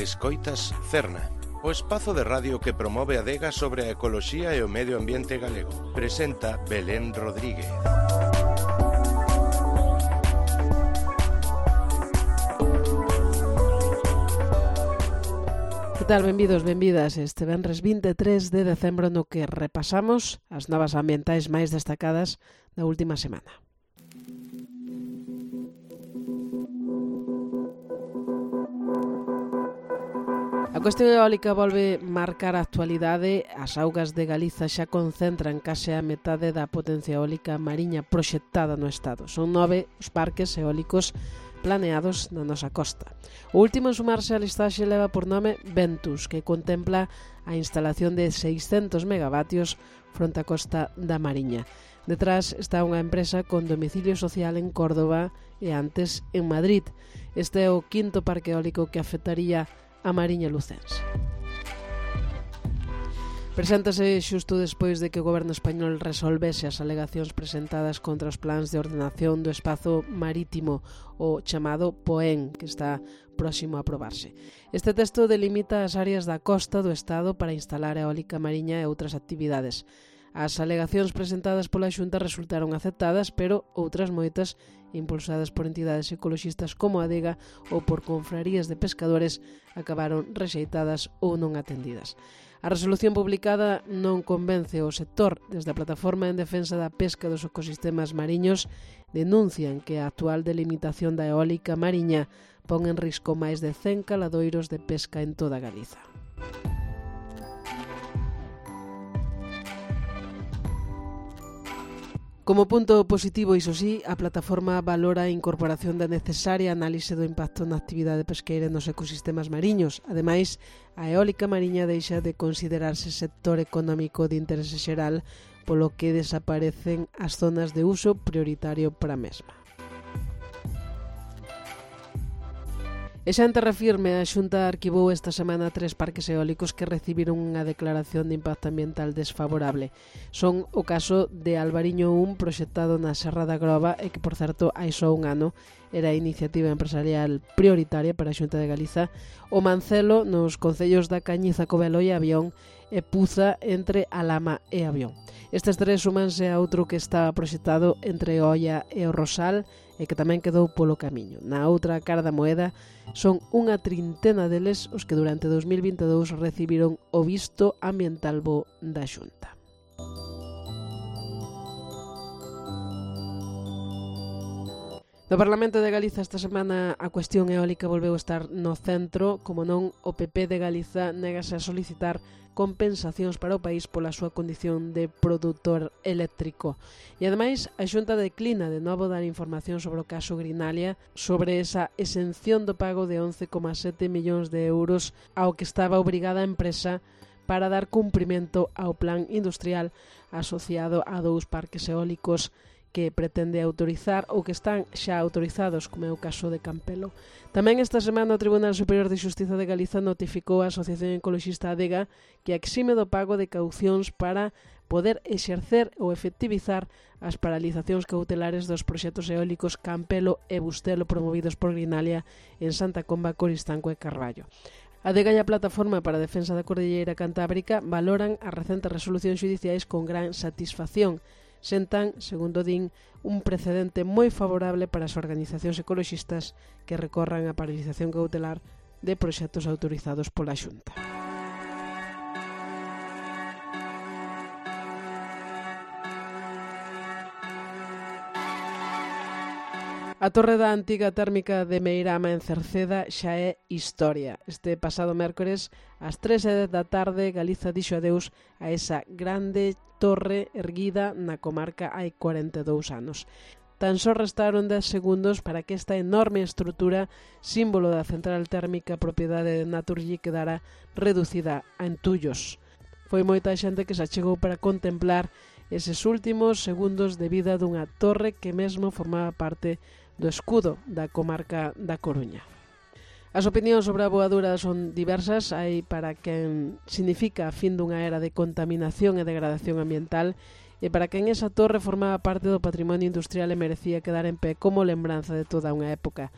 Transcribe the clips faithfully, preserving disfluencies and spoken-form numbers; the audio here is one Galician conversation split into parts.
Escoitas Cerna, o espazo de radio que promove a adega sobre a ecoloxía e o medio ambiente galego. Presenta Belén Rodríguez. Que tal? Benvidos, benvidas. Este venres vinte e tres de decembro no que repasamos as novas ambientais máis destacadas da última semana. A cuestión eólica volve marcar a actualidade. As augas de Galiza xa concentran case a metade da potencia eólica mariña proxectada no Estado. Son nove os parques eólicos planeados na nosa costa. O último en sumarse á listaxe leva por nome Ventus, que contempla a instalación de seiscentos megavatios fronte á costa da Mariña. Detrás está unha empresa con domicilio social en Córdoba e antes en Madrid. Este é o quinto parque eólico que afectaría a Mariña lucense. Preséntase xusto despois de que o goberno español resolvese as alegacións presentadas contra os plans de ordenación do espazo marítimo, o chamado POEN, que está próximo a aprobarse. Este texto delimita as áreas da costa do Estado para instalar eólica mariña e outras actividades. As alegacións presentadas pola Xunta resultaron aceptadas, pero outras moitas, impulsadas por entidades ecoloxistas como a Adega ou por confrarías de pescadores, acabaron rexeitadas ou non atendidas. A resolución publicada non convence o sector. Desde a Plataforma en Defensa da Pesca dos Ecosistemas Mariños denuncian que a actual delimitación da eólica mariña pon en risco máis de cen caladoiros de pesca en toda Galiza. Como punto positivo, iso sí, a plataforma valora a incorporación da necesaria análise do impacto na actividade pesqueira nos ecosistemas mariños. Ademais, a eólica mariña deixa de considerarse sector económico de interese xeral, polo que desaparecen as zonas de uso prioritario para a mesma. E xa en terra firme, a Xunta arquivou esta semana tres parques eólicos que recibiron unha declaración de impacto ambiental desfavorable. Son o caso de Albariño un, proxectado na Serra da Groba, e que, por certo, hai só un ano era a iniciativa empresarial prioritaria para a Xunta de Galiza, o Mancelo nos concellos da Cañiza, Covelo e Avión, e Puza entre Alama e Avión. Estes tres sumanse a outro que estaba proxectado entre Oia e o Rosal, e que tamén quedou polo camiño. Na outra cara da moeda, son unha trintena deles os que durante dous mil vinte e dous recibiron o visto ambiental bo da Xunta. No Parlamento de Galiza esta semana a cuestión eólica volveu estar no centro. Como non, o P P de Galiza négase a solicitar compensacións para o país pola súa condición de produtor eléctrico. E ademais, a Xunta declina de novo dar información sobre o caso Grinalia, sobre esa exención do pago de once coma sete millóns de euros ao que estaba obrigada a empresa para dar cumprimento ao plan industrial asociado a dous parques eólicos que pretende autorizar ou que están xa autorizados, como é o caso de Campelo. Tamén esta semana o Tribunal Superior de Xustiza de Galiza notificou a Asociación Ecologista Adega que exime do pago de caucións para poder exercer ou efectivizar as paralizacións cautelares dos proxectos eólicos Campelo e Bustelo promovidos por Grinalia en Santa Comba, Coristanco e Carballo. A Adega e a Plataforma para a Defensa da Cordilleira Cantábrica valoran as recentes resolucións xudiciais con gran satisfacción. Sentan, segundo din, un precedente moi favorable para as organizacións ecoloxistas que recorran a paralización cautelar de proxectos autorizados pola Xunta. A torre da antiga térmica de Meirama en Cerceda xa é historia. Este pasado mércores, ás tres e dez da tarde, Galiza dixo adeus a esa grande torre erguida na comarca hai cuarenta e dous anos. Tan só restaron dez segundos para que esta enorme estrutura, símbolo da central térmica propiedade de Naturgy, quedara reducida a entullos. Foi moita xente que se achegou para contemplar eses últimos segundos de vida dunha torre que mesmo formaba parte do escudo da comarca da Coruña. As opinións sobre a voadura son diversas. Hai para quen significa a fin dunha era de contaminación e degradación ambiental, e para quen esa torre formaba parte do patrimonio industrial e merecía quedar en pé como lembranza de toda unha época.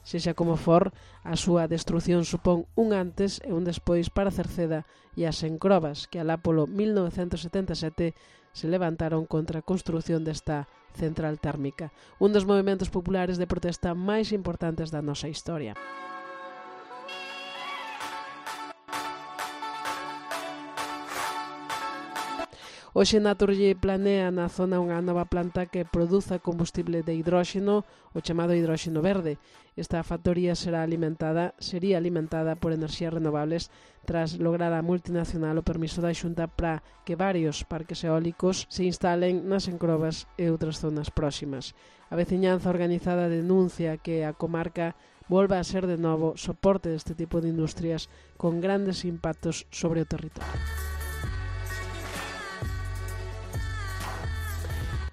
Sexa como for, a súa destrución supón un antes e un despois para Cerceda e as encrobas que alá polo mil novecentos setenta e sete se levantaron contra a construción desta central térmica, un dos movementos populares de protesta máis importantes da nosa historia. Hoxe Naturgy planea na zona unha nova planta que produza combustible de hidróxeno, o chamado hidróxeno verde. Esta factoría será alimentada, sería alimentada por enerxías renovables tras lograr a multinacional o permiso da Xunta para que varios parques eólicos se instalen nas encrobas e outras zonas próximas. A veciñanza organizada denuncia que a comarca volva a ser de novo soporte deste tipo de industrias con grandes impactos sobre o territorio.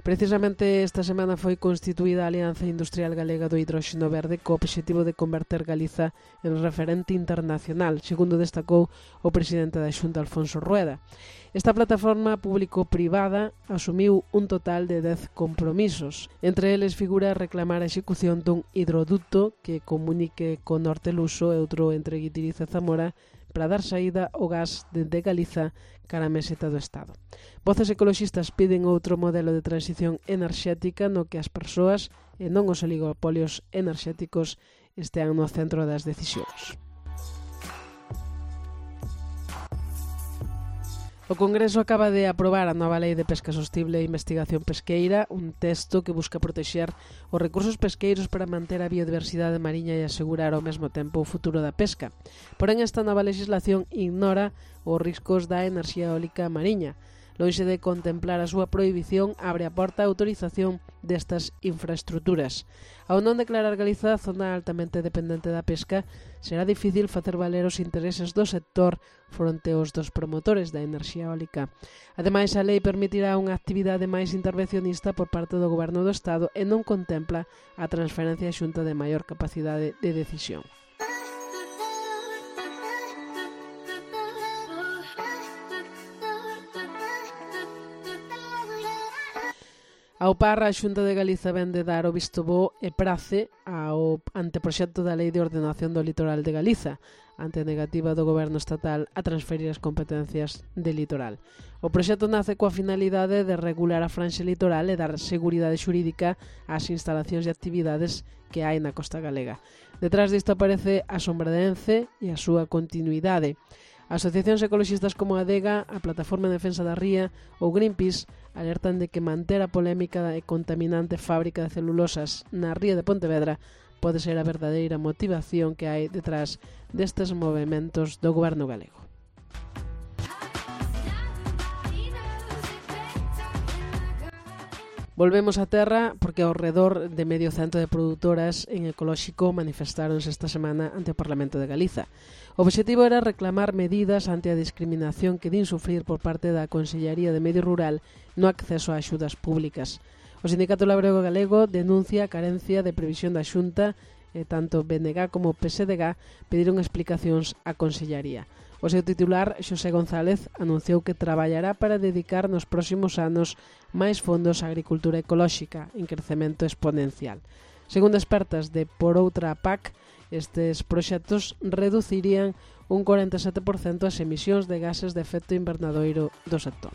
Precisamente esta semana foi constituída a Alianza Industrial Galega do Hidróxeno Verde co obxectivo de converter Galiza en referente internacional, segundo destacou o presidente da Xunta, Alfonso Rueda. Esta plataforma público-privada asumiu un total de dez compromisos. Entre eles figura reclamar a execución dun hidroducto que comunique con Norte Luso e outro entre Guitiriz e Zamora para dar saída ao gas dende Galiza cara a meseta do Estado. Voces ecoloxistas piden outro modelo de transición enerxética no que as persoas e non os oligopolios enerxéticos estean no centro das decisións. O Congreso acaba de aprobar a nova Lei de Pesca Sostible e Investigación Pesqueira, un texto que busca protexer os recursos pesqueiros para manter a biodiversidade mariña e asegurar ao mesmo tempo o futuro da pesca. Porén, esta nova legislación ignora os riscos da enerxía eólica mariña. Lonxe de contemplar a súa prohibición, abre a porta a autorización destas infraestructuras. Ao non declarar Galiza zona altamente dependente da pesca, será difícil facer valer os intereses do sector fronte aos dos promotores da enerxía eólica. Ademais, a lei permitirá unha actividade máis intervencionista por parte do Goberno do Estado e non contempla a transferencia á Xunta de maior capacidade de decisión. Ao par, a Xunta de Galiza vén de dar o visto bo e prace ao anteproxecto da Lei de Ordenación do Litoral de Galiza, ante a negativa do Goberno estatal a transferir as competencias de litoral. O proxecto nace coa finalidade de regular a franxa litoral e dar seguridade xurídica ás instalacións e actividades que hai na costa galega. Detrás disto aparece a Sombra de Ence e a súa continuidade. Asociacións ecoloxistas como a Adega, a Plataforma de Defensa da Ría ou Greenpeace alertan de que manter a polémica e contaminante fábrica de celulosas na ría de Pontevedra pode ser a verdadeira motivación que hai detrás destes movementos do goberno galego. Volvemos á terra porque ao redor de medio cento de produtoras en ecolóxico manifestáronse esta semana ante o Parlamento de Galiza. O obxectivo era reclamar medidas ante a discriminación que din sufrir por parte da Consellería de Medio Rural no acceso a axudas públicas. O Sindicato Labrego Galego denuncia a carencia de previsión da Xunta e tanto B N G como P S D G pediron explicacións á Consellería. O seu titular, Xosé González, anunciou que traballará para dedicar nos próximos anos máis fondos á agricultura ecolóxica en crecemento exponencial. Segundo expertas de Por Outra P A C, estes proxectos reducirían un cuarenta e sete por cento as emisións de gases de efecto invernadoiro do sector.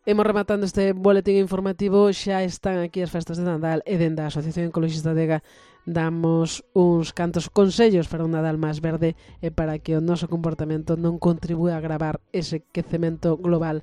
Hemos rematando este boletín informativo, xa están aquí as festas de Nadal e dende a Asociación Ecologista Adega damos uns cantos consellos para un Nadal máis verde e para que o noso comportamento non contribúe a agravar ese quecemento global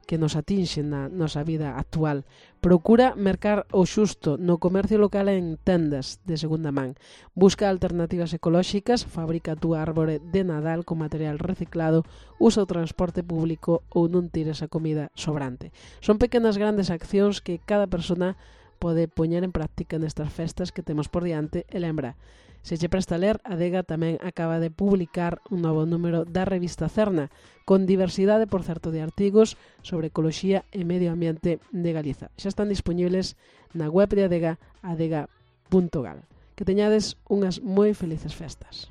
que nos atinxe na nosa vida actual. Procura mercar o xusto no comercio local en tendas de segunda man. Busca alternativas ecolóxicas, fabrica a túa árbore de Nadal con material reciclado, usa o transporte público ou non tires a comida sobrante. Son pequenas grandes accións que cada persona pode poñer en práctica nestas festas que temos por diante e lembra. Se che presta a ler, a Adega tamén acaba de publicar un novo número da revista Cerna, con diversidade, por certo, de artigos sobre ecoloxía e medio ambiente de Galiza. Xa están disponibles na web de Adega, adega punto gal. Que teñades unhas moi felices festas.